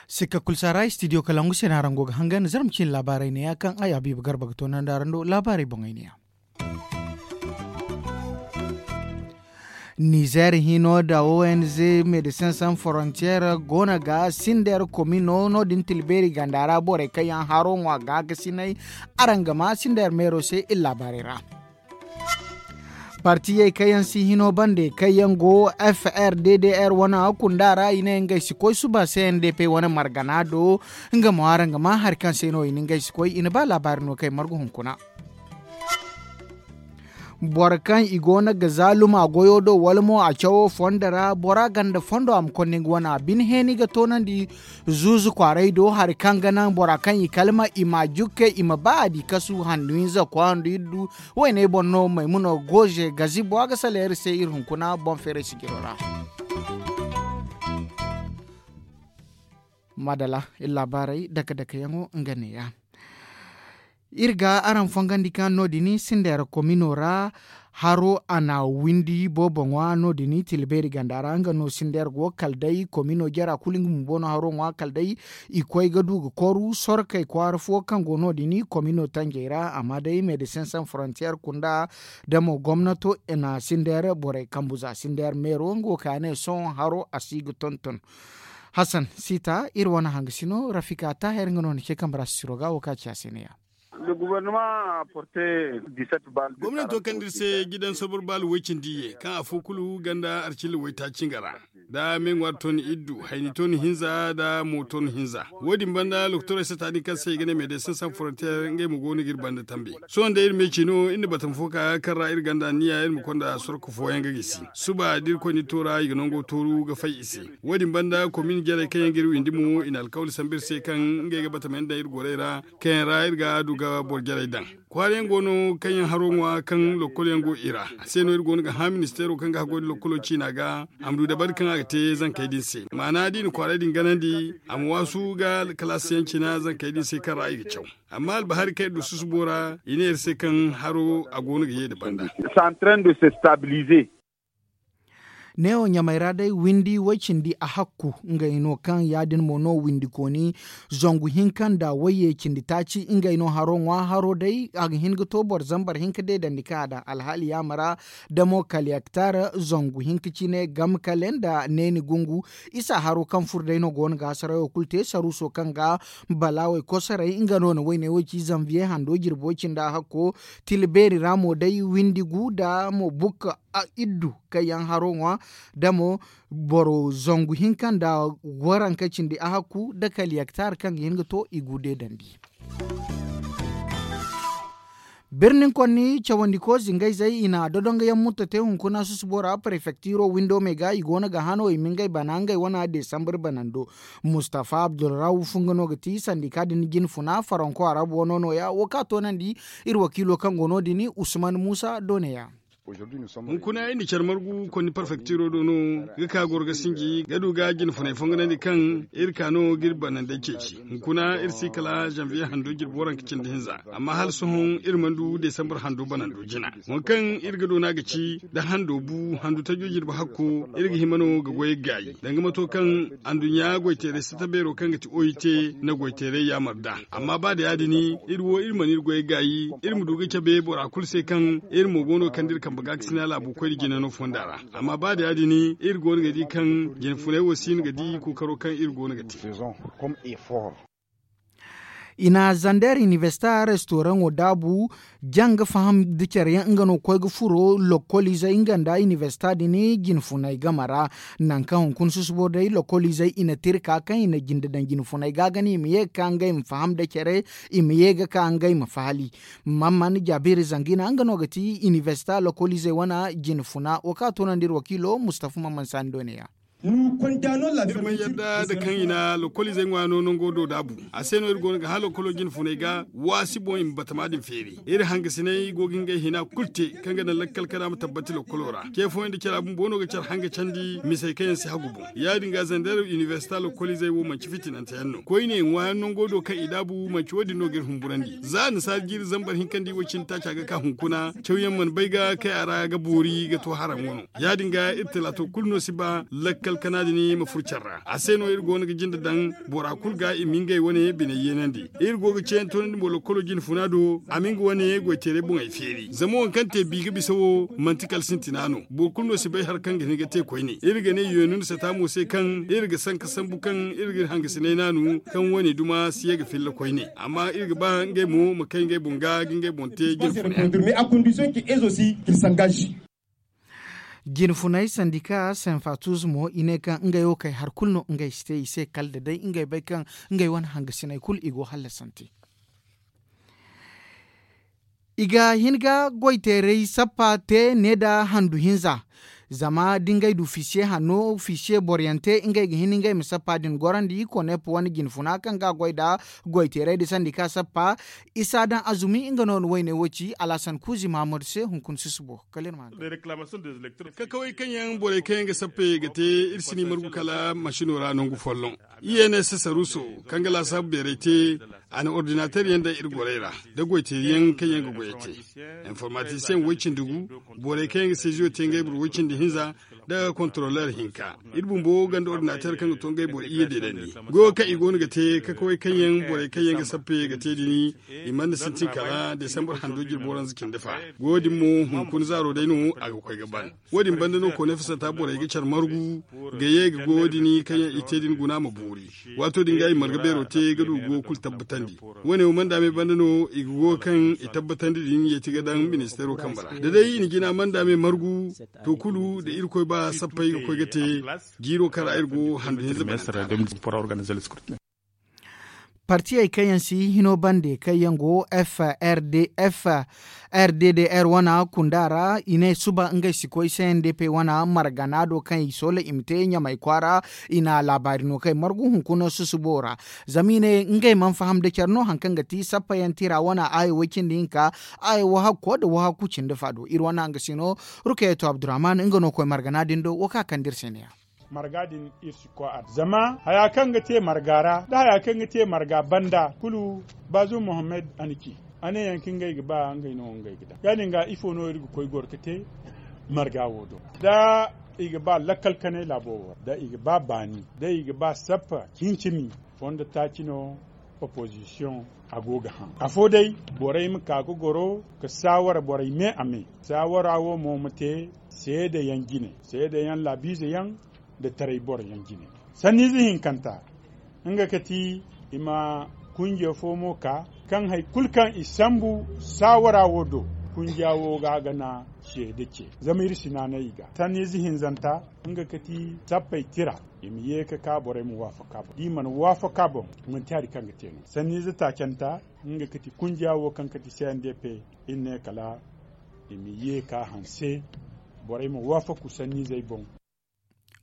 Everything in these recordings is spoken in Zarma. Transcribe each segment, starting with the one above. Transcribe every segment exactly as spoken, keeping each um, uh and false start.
Sikka kulu si a ra istidiyo kalangu se no araŋ go ga hangan zarma cine laabaarey neeya kaŋ ay habiiba garba ga toonandi araŋ do laabaarey boŋey neeya. Nizeer hino nda o n z medecin san forontiyeer go no ga sindeer komino no- din tilbeeri ganda ra borey kaŋ yaŋ haro ŋwa gaakasinay araŋ ga ma sindeer meero se iri laabaarey ra. Partiyey kaŋ yaŋ si hino bande kaŋ yaŋ go f r d d r wane kunda ra i ne ngey si koy suba c n d p wane margana do. Nga mo araŋ ga ma hari kaŋ se no i na ngey si koy i na ba laabaari no kaŋ ay margu hunkuna. Boro kaŋ i go no ga zaaluma goyo do wala mo a cawo fondo ra bora ganda fondo a ma konda nga wane a bine heeni ga toonandi zuuzu kwaaray do hari kaŋ ga naŋ bora kaŋ i kalma i ma a jukke i ma ba a di kasu handu hinza kwaandu iddu. Wayney boŋ no maymuno goze gazibo a ga saleeri se iri hunkuna boŋ feeray sijiro ra. Madala iri laabaarey dake dake yaŋo nga neeya. Iri ga araŋ fongandi kaŋ no- din sindeer komino ra haro a na windi boobo ŋwa no- din tilbeeri ganda ra nga no sindeer go kala day komino jara kulu nga bumbo no haro ŋwa kala day. I koy ga du ga koru sorkey kwaara fo kaŋ go no- din komino tanjey ra amma day medecin san forontiyeer kunda damo gomnato na sindeer borey kambu za sindeer meero nga wo kaŋ a ne sohõ haro a si ga tonton. Hasan siita iri wane hangasino rafika taahir nga no ni ce kambe ra sisiro ga wo kaŋ a ci a se neeya. Gomnanto kaŋ da iri se jidan sabar baali woy cindi ye kaŋ afo kulu ganda arcilla woy taaci nga ra, da me ŋwaari ton iddu hayni ton hinza da mo ton hinza. Wo- din banda lokotorey sata din kaŋ se i ga ne medesin san forontiyeer ngey mo go no ga iri banda tambe. Sohõ day iri me ci no iri na batama fo ka kaŋ ra iri ganda anniya iri ma konda sorko fooyaŋ ga gisi suba da iri koy ni toora i ga nango tooru ga fay i se. Wo- din banda komin jarey kaŋ yaŋ ga iri windi mo i na alkawli sambu iri se kaŋ ngey ga batama yaŋ daŋ iri gorey ra kaŋ yaŋ ra iri ga du ga boro jarey daŋ. Kwaara yaŋ go no kaŋ yaŋ haro ŋwa kaŋ lokkol yaŋ go i ra a se no iri go no ga hã ministeero kaŋ ga haggoy nda lokkolo ciina ga a ma du dabari kaŋ a ga te zankey din se maana da i na kwaaray din ganandi a ma waasu ga kalaasi yaŋ cina zankey din se kaŋ ra i ga caw. Amma albahari kaŋ iri du susubo ra i ne iri se kaŋ haro a go no ga ye nda banda. Neewo ɲamey ra day windi way-cindi a hakku ngey no kaŋ ya- din mo no windikooni zangu hinka nda wayye cindi taaci ngey no haro ŋwa haro day a ga hin ga to boro zambar hinka deedandi kaŋ a daŋ alhaali yaama ra. Damo kala yaktar zangu hinka cine game kale nda neeni gungu isa haro kaŋ furo day no go no ga hasarayo kulu te saruuso kaŋ ga balaawey kosoray nga no na wayney wo ci zanviye hando jirbo cindi a hakko. Tila beeri ra mo day windi gu nda mo bukka iddu kaŋ yaŋ haro ŋwa da mo boro zangu hinka nda waranka cindi a hakku nda kala yaktar kaŋ ga hin ga to i gu deedandi. Birnin konni cawandiko zingayzey i na dodonga yaŋ mutta te hunkuna susubo ra prefektiro windo me ga i go no ga hano i ma ngey bana ngey wana desambar banando. Mustafa abdulrawuf nga no ga ti sandika din jinfuna faranko arabu wano no- ya wo ka toonandi. Iri wakiilo kaŋ go no- din usman muusa do ne- ya. Hunkuna iri na care margu konni perfektiro do no ga ka goro ga sinji ga du ga jinfunay fonganandi kaŋ iri ka no ga iri banandey ceeci. Hunkuna iri si kala zanviye hando jirbi waranka cindi hinza amma hala sohõ iri mana du desambar hando banando jina. Waŋ kaŋ iri ga doona ga ci da hando bu handu tajo jirbi hakko iri ga hima no ga goy ga gaayi danga mato kaŋ anduɲɲa goyteeray sata beero kaŋ ga ti oy te na goyteeray yaamar nd'a. Amma ba da ya- din iri wo iri mana iri goy gaayi iri ma du ga cabe bora kulu se kaŋ iri mo go no ga kande iri kambe ga ga sina laabu koyne jina no fonda ra. Amma ba da ya- din iri go no ga di kaŋ jinfunay wo si no ga di kookaro kaŋ iri go no ga te. I na zander inibersita restoraŋo daabu janga faham da care yaŋ nga no ga koy ga furo lokkoliizey nga nda inibersita din jinfunay game ra. Nangu kaŋ hunkuna susubo day lokkoliizey i na tirka kaŋ i na jinde daŋ jinfunay ga ga ne i ma ye ga ka ngey ma faham da care i ma ye ga ka ngey ma fahali. Mamman jaabiri zangina nga no ga ti inibersita lokkoliizey wane jinfuna wo kaŋ a toonandi iri wakiilo mustafa mamman saani do ne- ya. Iri mana yadda da kaŋ i na lokoliizey ŋwaano nango do daabu. A se no iri go no ga hã lokolo jinfuney ga waasi boŋ i ma batama din feeri. Iri hangasiney go ga ngey hina kulu te kaŋ ga naŋ lakkal kana ma tabbati lokolo ra. Ce fooyaŋ da cara bumbo no ga care hanga candi misey kaŋ yaŋ si hagu boŋ. Ya- din ga zander inibersita lokoliizey wo manci fitinante yaŋ no koyne ŋwaayaŋ nango do kaŋ i daabu manci wo- din no ga iri humburandi za annasaari jiiri zambar hinkandi wo- cindi taaca ga ka hunkuna cawyaŋ mana bay ga kay a ra ga boori ga to haraŋ wano. Ya- din ga iri talaato kulu no si ba lakkal kana din ma furo care ra a se no iri go no ga jinde daŋ bora kulu ga i ma ngey wane biney yeenandi. Iri go ga ceeyaŋ toonandi mo lokolo jinfuna do a ma nga wane goyteeray boŋey feeri zama waŋ kaŋ te bi ga bisa wo manti kala sintina no. Boro kulu no si bay hari kaŋ ga hin ga te koyne iri ga ne yeenun sata mo se kaŋ iri ga sanka sambu kaŋ iri ga iri hangasinay naanu kaŋ wane duma si ye ga filla koyne amma iri ga ba ngey mo ma kay ngey boŋ ga ga ngey boŋ te jinfunay. Jinfunay sandika senfatus mo i ne kaŋ ngey wo kay hari kulu no ngey si te i se kala da day ngey bay kaŋ ngey wane hangasinay kulu i go hallasante. I ga hin ga goyteeray sappa te ne nda handu hinza. Zama da ngey du fisiye hanno fisiye boroyaŋ te ngey ga hin ngey ma sappa din gorandi konep wane jinfuna kaŋ ga a goy nda goyteeray nda sandika sappa. Isa daŋ azumi nga no na wayne wo ci alhasan kuuzi mahamadu se hunkuna susubo kala iri ma haŋ. Kakawey kaŋ yaŋ borey kaŋ yaŋ ga sappey ga te iri si ni margu kala masino ra nangu folloŋ. I ye ne sasaruso kaŋ ga laasaabu beeray te a na ordinateer yaŋ daŋ iri gorey ra nda goyteeri yaŋ kaŋ yaŋ ga goyey te. Informatisiyeŋ woy-cindi gu borey kaŋ yaŋ ga seziyo te ngey boro woy-cindi hinza nda kontaroleer hinka. Iri bumbo ganda ordinateer kaŋ ga to ngey boro iyye deedandi goyo kaŋ i go no ga te kakawey kaŋ yaŋ borey kaŋ yaŋ ga sappey ga te din i mana sintin kala desambar hando jirbi waranza cindi fa. Goyo din mo hunkuna zaaro day no a ga koy ga ban. Wo- din banda no koonay fasanta borey ga care margu ga ye ga goyo din kaŋ yaŋ i te din guna ma boori. Waato din ga i marga beero te ga du goyo kulu tabbatandi. Wo- ne wo manda me banda no i ga goyo kaŋ i tabbatandi din yeeti ga daŋ ministeero kambe ra da day i na jina manda me margu. To kulu da irkoy ba sappey ga koy ga te jiiro kaŋ ra iri go handu hinza bananta. Partiyey kaŋ yaŋ si hino bande kaŋ yaŋ go f r d f r d d r wana kunda ra i ne suba ngey si koy c n d p wana margana do kaŋ i soola i ma te ɲamay kwaara. I na laabaari no kaŋ ay margu hunkuna susubo ra. Zama i ne ngey mana faham da care no hari kaŋ ga ti sappa yaŋ tira wana aayo way cindi hinka aayo wahakko nda wahakku cindi fa do iri wana nga si no. Rukayeto abdurrahman nga no koy margana din do wo kaŋ a kande iri se ne ya. Marga din iri si koy a ra zama haya kaŋ ga te marga ra nda haya kaŋ ga te marga banda kulu. Baazum mohammed a na ci a ne yaŋ kaŋ ngey ga ba ngey no ngey ga daŋ ya- din ga ifo no iri ga koy goro ga te marga wo do da i ga ba lakkal kanay laabo wo ra da i ga ba baani da i ga ba sappa cincimi fondo taaci no. Opozisiyoŋ a go ga haŋ afo day borey ma ka ga goro ga saawara borey me a me saawara wo mo ma te seedeyaŋ jine seedeyaŋ laabiize yaŋ nda taray boroyaŋ jine. Sanniize hinkanta nga ga ti i ma kunje fo mo ka kaŋ hari kulu kaŋ i sambu saawara wo do kunja wo ga a ga na seede ce zama iri si naanay i ga sanniize hinzanta nga ga ti sappey tira i ma ye ga ka borey ma waafaka boŋ da i mana waafaka boŋ manti hari kaŋ ga te no sanniize taacanta nga ga ti kunja wo kaŋ ga ti c n d p iri ne kala i ma ye ga hanse borey ma waafaku sanniizey boŋ.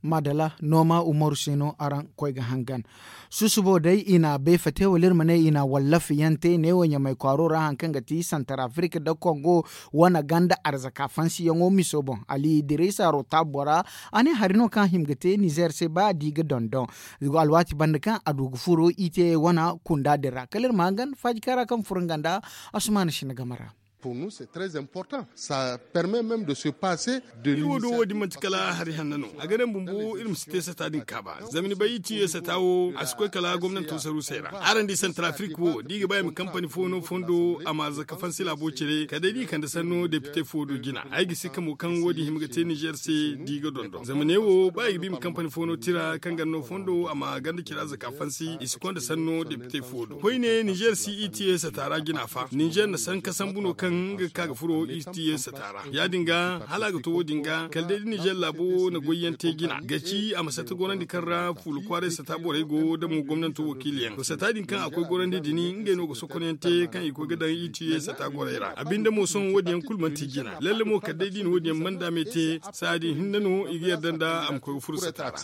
Madala nooma umaru se no araŋ koy ga hangan. Susubo day i na beefa te wala iri ma ne i na wallafi yaŋ te neewo ɲamay kwaaro ra hari kaŋ ga ti santar afirika nda kongo wane ganda arzaka fansiyaŋo miso boŋ ali dirisa rota bora. A ne hari no kaŋ a hima ga te nizer se ba a di ga dondon alwaati banda kaŋ a du ga furo i te wane kunda din ra kala iri ma hangan faaji kaŋ ra kaŋ furo nga nda asumaana sinda game ra. Pour nous c'est très important. Ça permet même de se passer de iri wo do wo din manti kala hari hanna no a ga naŋ bumbo iri ma si te sata din kaaba. Zama ni bay i tiye sata wo a si koy kala gomnanto sarusey ra araŋ di santrafrik wo da i ga ba i ma kampani fo no fondo a ma zaka fansi laabo cire kala day da i kande sanno depite fo do jina ay ga si kamo kaŋ wo din hima ga te nizer se da i ga dondon zama ne wo ba i ga ba i ma kampani fo no tira kaŋ ganda no fondo a ma ganda cira zaka fansi i si konda sanno depite fo do koyne nizer si i tiye sata ra jina fa nizer na sanka sambu no kaŋ Nga ga ka ga furo i ti ye sata ra ya- din ga hala a ga to wo- din ga kala day da nizer laabo na goyyaŋ te jina ga ci a ma sata gorandi kaŋ ra fuula kwaaray sata borey go da mo gomnanto wakiiliyaŋ to sata din kaŋ a koy gorandi din ngey no ga sokonyaŋ te kaŋ i koy ga daŋ i ti ye sata gorey ra a binde mo sohõ wo- din yaŋ kulu manti jina lalle mo kala day da i na wo- din yaŋ manda me te saadi hinne no i ga yarda nda a ma koy ga furo sata ra.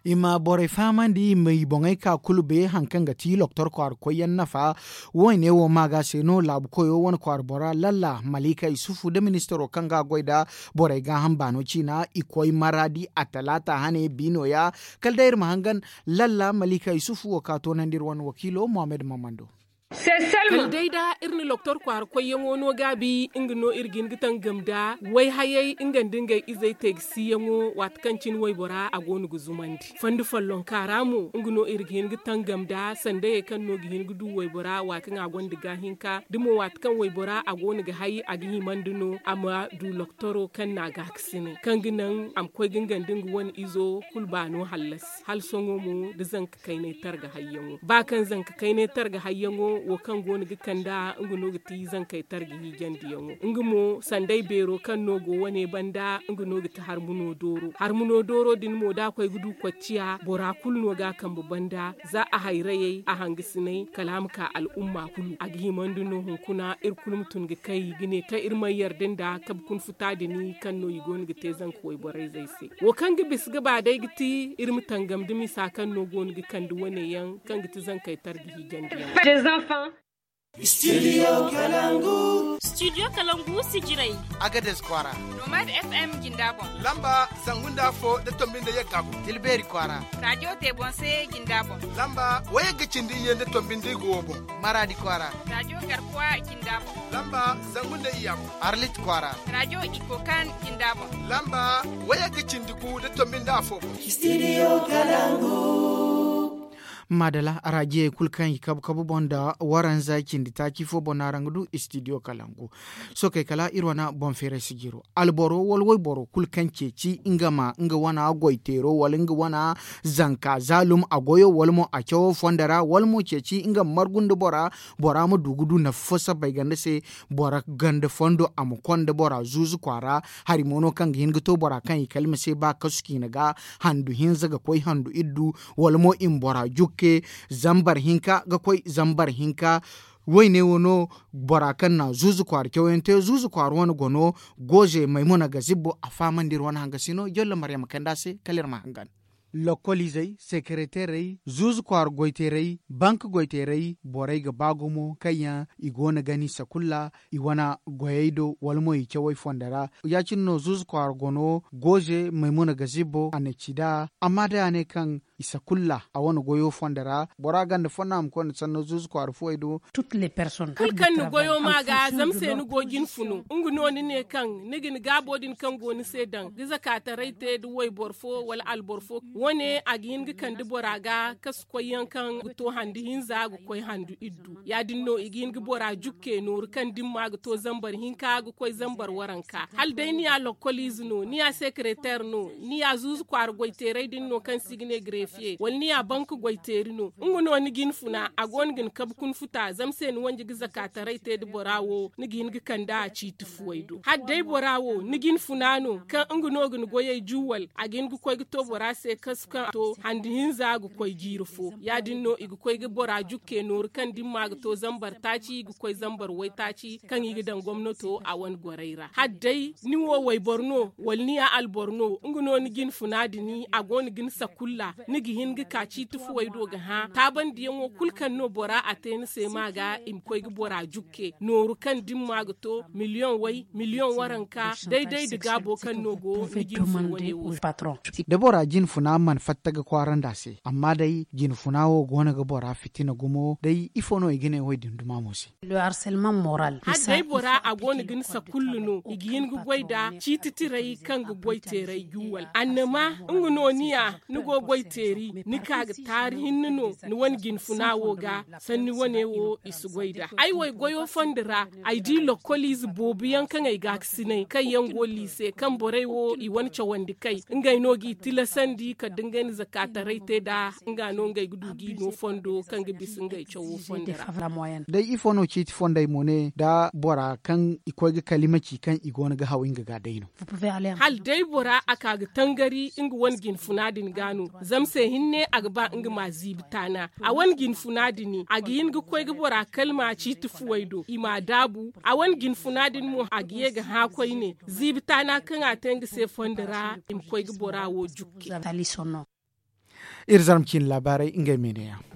I ma borey fahamandi i ma i boŋey ka kulu bay hari kaŋ ga ti loktor kwaara koyyaŋ nafa. Wo- ne wo ma ga se no laabu koyo wane kwaara bora lalla malika isufu nda ministaro kaŋ ga a goy nda borey gaaham baano ciina i koy maradi a talaata hane bi no- ya. Kala day iri ma hangan lalla malika isufu wo ka toonandi iri wane wakiilo mohammed mamando. Kala day da iri na loktor kwaara koyyaŋo no gaabi nga no iri ga hin ga tangam nda wayhayey nga nda ngey izey teegasiyaŋo waati kaŋ cine waybora a go no ga zumandi fondo follonka ra mo nga no iri ga hin ga tangam nda sandayey kaŋ no ga hin ga du waybora waati kaŋ a gonda gaahinka da mo waati kaŋ waybora a go no ga hay a ga himandi no a ma du loktoro kaŋ na a gaakasinay kaŋ ga naŋ a ma koy ga nga nda nga wane izo kulu baano hallasi hala sohõ mo da zanka kaynay targa hayyaŋo ba kaŋ zanka kaynay targa hayyaŋo wo kaŋ go no ga kand'a nga no ga ti zankey targa hiijandiyaŋo nga mo sanday beero kaŋ no go wane banda nga no ga ti harmuno dooro harmuno dooro din mo da a koy ga du kocciya bora kulu no ga a kambe banda za a hayrayey a hangasinay kala a ma ka al'umma kulu a ga himandi no hunkuna iri kulu ma tun ga kay ga ne kaŋ iri mana yarda nda kabe kuna futa din kaŋ no i go no ga te zanka wayborayzey se wo kaŋ ga bisa ga ba day ga ti iri ma tangam da misa kaŋ no go no ga kande wane yaŋ kaŋ ga ti zankey targa hiijandi yaŋ. Studio kalangu sijirey. Agades kwaara. Nomad fm jinda boŋ. Lamba zangu nda afo da tombi nda yagga boŋ. Tilbeeri kwaara. Radio tebonse jinda boŋ. Lamba wayagga cindi iyye nda tombi nda igo wo boŋ. Maradi kwaara. Radio garkuwa jinda boŋ. Lamba zangu nda iyya boŋ. Arlit kwaara. Radio ikokan jinda boŋ. Lamba wayagga cindi gu da tombi nda afo boŋ. Studio kalangu. Madala arajiyey kulu kaŋ i kabu kabu boŋ nda waranza cindi taaci fo boŋ no araŋ ga du studio kalangu. Sookey kala iri wane boŋ feeray sijiro alboro wala wayboro kulu kaŋ ceeci nga ma nga wane goyteero wala nga wane zanka zaalum a goyo wala mo a cawo fondo ra wala mo ceeci nga ma margu nda bora bora ma du ga du nafa fo sabbay ganda se. Bora ganda fondo a ma konda bora zuuzu kwaara hari mo no kaŋ ga hin ga to bora kaŋ i kalima se ba kasu ciina ga handu hinza ga koy handu iddu wala mo i ma bora jukke zambar hinka ga koy zambar hinka. Wayne wo no bora kaŋ na zuuzu kwaara cawyaŋ te zuuzu kwaara wane go no. Gooze maymuna ga zibbo a fahamandi iri wane hangasino jolla maryama kanda se kala iri ma hangan. Lokoliizey sekereteerey zuuzu kwaara goyteerey bank goyteerey borey ga ba gumo kaŋ yaŋ i go no gani sakulla i wane goyey do wala mo i cawey fondo ra. Ya- cine no zuuzu kwaara gono gooze maymuna ga zibbo a na ci nd'a amma day a ne kaŋ i sakulla a wane goyo fondo ra bora ganda fo no a ma koy nda sanno zuuzu kwaara fuwey do. Kulu kaŋ ni goyo ma ga zama se ni go jin funu nga no ni ne kaŋ ni ga ni gaabo din kaŋ go ni se daŋ ga zakaataray te nda wayboro fo wala alboro fo wane a ga hin ga kande bora ga kasu koyyaŋ kaŋ ga to handu hinza ga koy handu iddu ya- din no i ga hin ga bora jukke nooru kaŋ dimma ga to zambar hinka ga koy zambar waranka hala day ni ya lokoliize no ni ya sekereteer no ni ya zuuzu kwaara goyteeray din no kaŋ se i ga ne gareefiye wala ni ya bank goyteeri no nga no ni ga hin funa a go no ga ni kabe kuna futa zama se ni wanji ga zakaataray te nda bora wo ni ga hin ga kand'a ciiti fuwey do hala day bora wo ni ga hin funa no kaŋ nga no ga ni goyey juwal a ga hin ga koy ga to bora se kasu kaŋ a to handu hinza ga koy jiiri fo ya- din no i ga koy ga bora jukke nooru kaŋ dimma ga to zambar taaci ga koy zambar waytaaci kaŋ i ga daŋ gomnato a wane gorey ra hala day ni wo wayboro no wala ni ya alboro no nga no ni ga hin funa din a go no ga ni sakulla ni ga hin ga ka ciiti fuwey do ga hã taabandiyaŋo kulu kaŋ no bora a te ni se ma ga i ma koy ga bora jukke nooru kaŋ dimma ga to miliyoŋ way miliyoŋ waranka day-day nda gaabo kaŋ no go ni ga hin fun wane wo se. Da bora jine funa mana fatta ga kwaara nd'a se amma day jine funa wo go no ga bora fitina gumo day ifo no i ga ne wo- din duma mo se? Hala day bora a go no ga ni sakullu no i ga hin ga goy nda ciiti tiray kaŋ ga goy teeray juwal annama nga no ni ya ni go goy teeri Ni ka ga taari hinne no ni wane jinfuna wo ga. Sanni wane wo i si goy nd'a ay wo ay goyo fondo ra. Ay di lokoliize boobo yaŋ kaŋ ay gaakasinay kaŋ yaŋ go liise kaŋ borey wo i wane cawandi kay ngey no g'i tilasandi kala da ngey na zakaataray te nd'a. Nga no ngey ga du g'i no fondo kaŋ ga bisa ngey cawo fondo ra. Day ifo no ciiti fondey mo ne da bora kaŋ i koy ga kalima ci kaŋ i go no ga haw nga ga day no? Hala day bora a ka ga tangari nga wane jinfuna din ga no. Zama se hinne a ga ba nga ma ziibi taana a wane jinfuna din a ga hin ga koy ga bora kalma ciiti fuwey do i m'a daabu a wane jinfuna din mo a ga ye ga hã koyne. Ziibi taana kaŋ a te nga se fondo ra i ma koy ga bora wo jukke. Iri zarma ciine laabaarey ngey me ne yaŋ.